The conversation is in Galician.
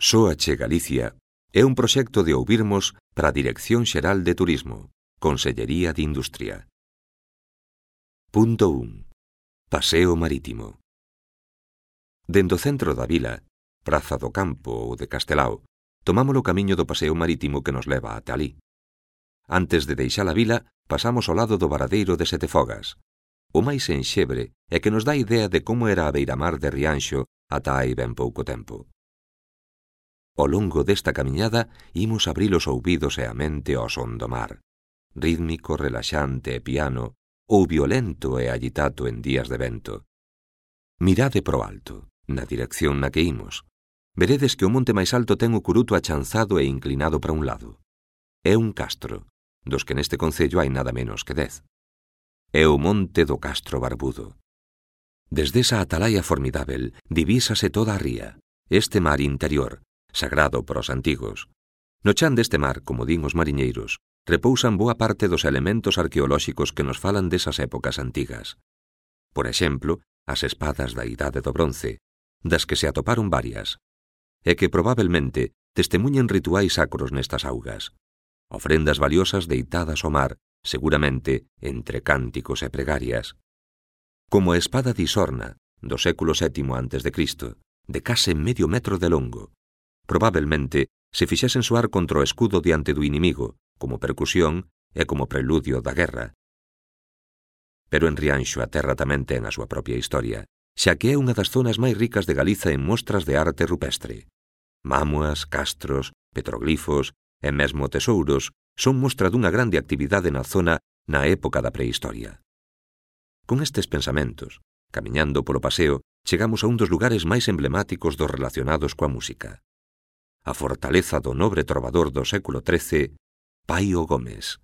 Sóache Galicia é un proxecto de ouvirmos para a Dirección Xeral de Turismo, Consellería de Industria. Punto 1. Paseo marítimo. Dende o centro da vila, Praza do Campo ou de Castelao, tomamos o camiño do paseo marítimo que nos leva ata alí. Antes de deixar a vila, pasamos ao lado do varadeiro de Setefogas, o máis enxebre e que nos dá idea de como era a beiramar de Rianxo ata hai ben pouco tempo. Ao longo desta camiñada imos abrir os ouvidos e a mente ao son do mar, rítmico, relaxante e piano, ou violento e agitado en días de vento. Mirade pro alto, na dirección na que imos. Veredes que o monte máis alto ten o curuto achanzado e inclinado para un lado. É un castro, dos que neste concello hai nada menos que 10. É o monte do Castro Barbudo. Desde esa atalaya formidável divísase toda a ría, este mar interior, sagrado para os antigos. No chan deste mar, como din os mariñeiros, repousan boa parte dos elementos arqueolóxicos que nos falan desas épocas antigas. Por exemplo, as espadas da Idade do Bronce, das que se atoparon varias, e que probablemente testemuñen rituais sacros nestas augas, ofrendas valiosas deitadas ao mar, seguramente entre cánticos e pregarias. Como a espada de Isorna, do século VII a.C., de case medio metro de longo, probablemente se fixesen soar contra o escudo diante do inimigo, como percusión e como preludio da guerra. Pero en Rianxo a terra tamén ten a súa propia historia, xa que é unha das zonas máis ricas de Galiza en mostras de arte rupestre. Mámoas, castros, petroglifos e mesmo tesouros son mostra dunha grande actividade na zona na época da prehistoria. Con estes pensamentos, camiñando polo paseo, chegamos a un dos lugares máis emblemáticos dos relacionados coa música. A fortaleza do nobre trovador do século XIII, Paio Gómez.